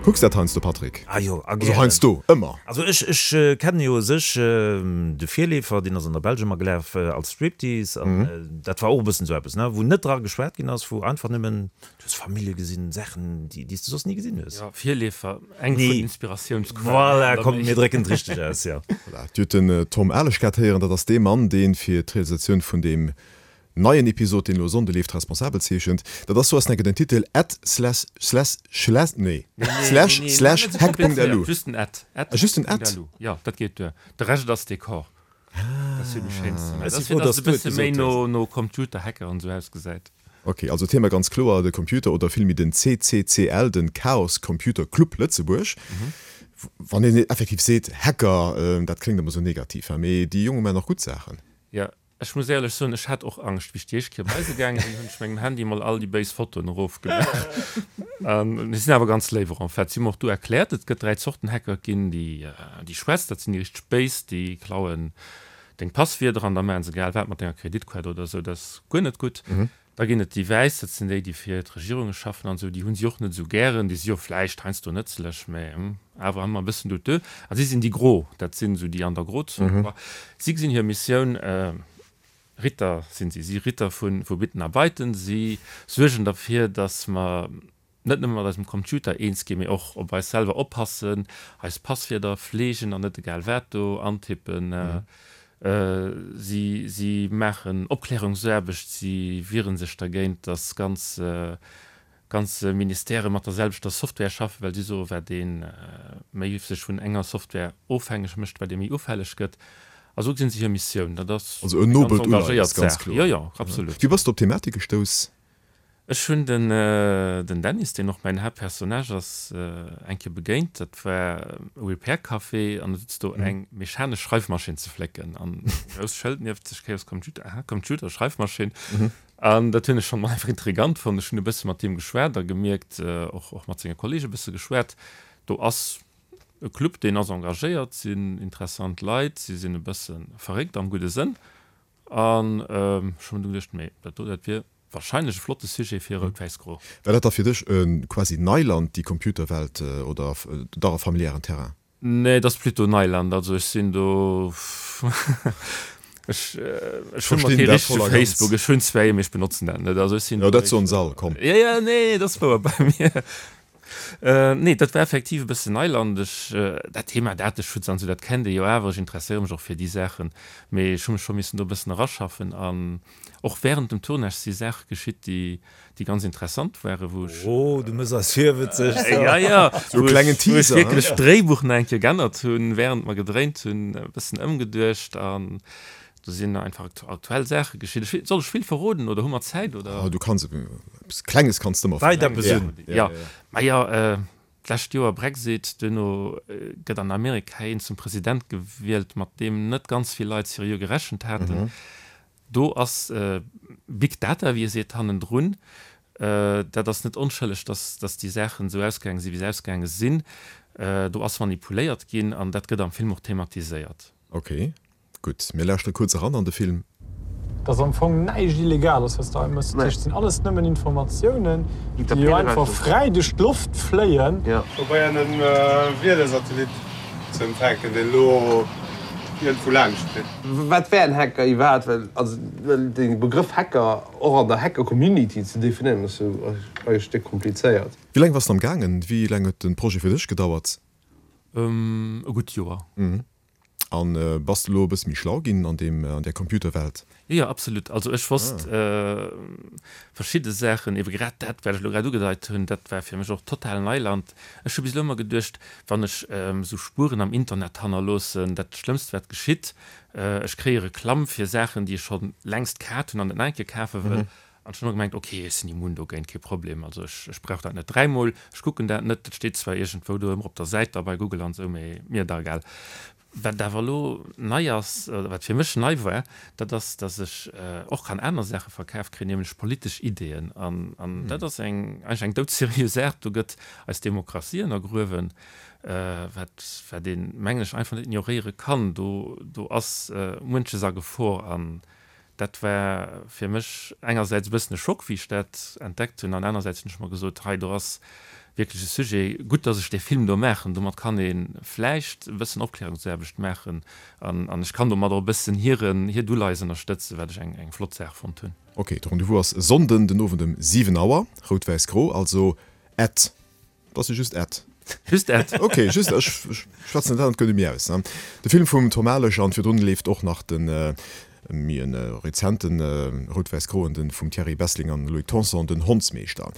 Kucks dat heiansdo, Patrick? Ah jo, a Also heiansdo, ëmmer. Also ech, ech kennen jo u sech de Virleefer, deen ass an der Belsch ëmmer gelaf als Striptease an dat war och e bëssen esou eppes, ne, wou net dra geschwat ginn ass, wou einfach nëmmen, du hues Famillje gesinn, Saachen, déi, déi s de soss ni gesinn hues. Jo, Virleefer, eng vun den Inspiratiounsquellen. Voilà, komm, mir drécken et richteg aus, jo. Voilà, Dir hutt den Tom Alesch grad héieren, dat ass dee Mann, dee fir d'Realisatioun vun deem Neien Episod deen elo Sonnde leeft responsabel zeechent. Dat ass soass enke den Titel at slash slash slash nee slash slash hack Punkt lu. Just den at. Ah just den at. Jo dat geet duer. De Rescht ass Dekor. Dat ass jo déi schéinst Zimmer. Dat ass fir dass et e bësse méi no no Computer Hacker an esou ausgesäit. Ok, also Thema ganz kloer de Computer oder villméi den CCCL, den Chaos Computer Club Lëtzebuerg. Wann een effektiv seet Hacker, dat kléngt ëmmer esou negativ, mee déi Jonge maachen och gutt Saachen. Jo, Ech muss éierlech soen, ech hat och Angscht. Wéi ech déi éischt Kéier bei se gaange sinn, hunn ech mengem Handy mol all déi béis Fotoen erofgemaach. An si sinn awer ganz léif och en fait. Si hu mer och du erkläert, et gëtt 3 Zorten Hacker. Et ginn déi, déi schwätz, dat sinn déi richteg béis, déi klauen deng Passwierder an da maache se egal wat mat denger Kreditkaart oder esou. Dat ass guer net gutt. Da ginn et déi Wäiss, dat sinn déi, déi fir d'Regierunge schaffen an esou, déi hu si och net esou gären, déi si jo vläicht heiansdo nëtzlech, mä awer ëmmer e bëssen douteux. A si sinn déi Gro, dat sinn esou déi an der Grozon. Bon, si gesinn hir Missioun, Ritter sinn si, si Ritter vu Bitten a Beiten, si suergen derfir, datt mer net nëmme mat eisem Computer eens ginn, mee och op eis selwer oppassen, eis Passwierder fleegen an net egal wat do antippen. Si si maachen Opklärungsaarbecht, si wiere sech dergéint, datt ganz ganz Ministèrë mat der selwechter Software schaffen, well si soen, wat ee méi sech vun enger Software ofhängeg mécht, wat ee méi ufälleg gëtt. A sou gesinn si hir Missioun. Dat ass Also en eng ganz nobelt Uleies, engagéiert ganz Saach. kloer. Jo, jo, absolut. Wéi bass de op d'Thematik gestouss? Ech hunn den den Dennis, deen och mäin Haaptpersonnage ass, eng Kéier begéint. Dat war e Repair Café an et sutz do eng mechanesch Schreifmaschinn ze flécken an e grousst Schëld nieft sech, Chaos Computer, aha, Computer, Schreifmaschinn. An dat hunn ech schonn einfach intrigant fonnt. Ech hunn e bësse mat him geschwat a gemierkt, och och mat senge Kollege e bësse geschwat, do ass e Club, deen ass engagéiert, sinn interessant Leit, si sinn e bësse verréckt am gudde Sënn. An ech hunn mer du geduecht, mee dat do, dat wier Wahrscheinlech e flotte Sujet fir Rout-Wäiss-Gro. War dat da fir dech e quasi Neiland, déi Computerwelt, oder dach e familiären Terrain? Nee, et ass plutôt Neiland. Also ech sinn do, ech ech hunn mer kee richtege Facebook, ech hunn zwar ee, mee ech benotzen dat net. Also ech sinn Jo, dat soen se all, komm. Jo, jo, nee, et ass wouer bei mir. Nee, dat war effektiv e bëssen Neiland. Ech, dat Thema Dateschutz an esou, dat kennt ee jo awer. Ech interesséiere mech och fir déi Saachen, mee ech hu mech scho missen do e bëssen eraschaffen an Och während dem Tournage si Saache geschitt, déi, déi ganz interessant waren, wou ech. Oh, du mëss eis virwëtzeg. Ja, ja, Sou e klengen wou ech Teaser, wierklech d'Dréibuch nach eng Kéier geännert hunn, während mer gedréint hunn, e bëssen ëmgeduecht an do sinn einfach aktuell Saache geschitt. Ech, soll ech vill verroden oder hu mer Zäit, oder? Oh, du kanns eppes Klenges kanns de ëmmer Deit eppes un. Ja, majo, D'lescht Joer Brexit, duerno gëtt an Amerika een zum President gewielt, mat deem net ganz vill Leit seriö gerechent haten. Do ass Big Data, wéi ee seet, hannendrun. Dat ass net onschëlleg, datt datt déi Saachen esou ausgaange sinn, wéi se ausgaange sinn. Do ass manipuléiert ginn an dat gëtt am Film och thematiséiert. Ok. Gutt, mir lauschtere kuerz eran an de Film. Dass am Fong näischt illegal ass, wat s de hei mëss. Dat heescht, et sinn alles nëmmen Informatiounen, déi jo einfach fräi duerch d'Loft fléien. Probéieren en Wiedersatellit ze empfänken, deen elo iergendwou laanscht flitt. Wat wär en Hacker iwwerhaapt? Well also well de Begrëff Hacker och an der Hacker-Community ze definéieren ass jo eigentlech déck komplizéiert. Wéi laang bass de am gaangen? Wéi laang huet de Projet fir dech gedauert? E gutt Joer. An bass de elo e bësse méi schlau ginn an deem, an där Computerwelt? Jo, jo, absolut. Also ech wosst verschidde Saachen, ebe grad dat, wat ech elo grad ugedeit hunn, dat war fir mech och total Neiland. Ech hu bis elo ëmmer geduecht, wann ech esou Spueren am Internet hannerloossen, dat Schlëmmst wat geschitt, ech kréie Reklamm fir Saachen, déi ech scho längst kaaft hunn an net nach eng Kéier kafe wëll. An ech hunn ëmmer gemengt, ok, ech sinn immun dogéint, kee Problem, also ech, ech brauch dat net dräimol, ech kucken dat net, dat steet zwar iergendwou do ëmmer op der Säit da bei Google an esou, mee mir da egal. Wat awer elo nei ass, oder wat fir mech nei war, dat ass, datt ech och kann aner Saache verkaf kréien, nämlech politesch Ideeën. An, an dat ass eng, eigentlech eng doudseriö Saach, do gëtt eis Demokratie ënnergruewen, wat, wat een, mengen ech, einfach net ignoréiere kann. Do, do ass muenches a Gefor an Dat war fir mech engersäits e bëssen e Schock, wéi ech dat entdeckt hunn, an anersäits hunn ech mer gesot, hei do ass. Wierklech e Sujet. Gutt, dass ech dee Film do maachen. Domat kann ee vläicht e bëssen Opklärungsaarbecht maachen an an ech kann domat och e bëssen hiren, hiert Uleies ënnerstëtzen, wat ech eng eng flott Saach fonnt hunn. Ok, de Rendez-vous ass e Sonnden den Owend ëm 7 Auer, Rout-Wäiss-Gro, also at, et ass jo just at. Just at. Ok, just, ech schwätzen dat an et gëtt e méi aus. De Film vum Tom Alesch an virdrun leeft och nach de méi e rezenten Rout-Wäiss-Groen, de vum Thierry Bessling an Loïc Tanson, Den Hondsmeeschter.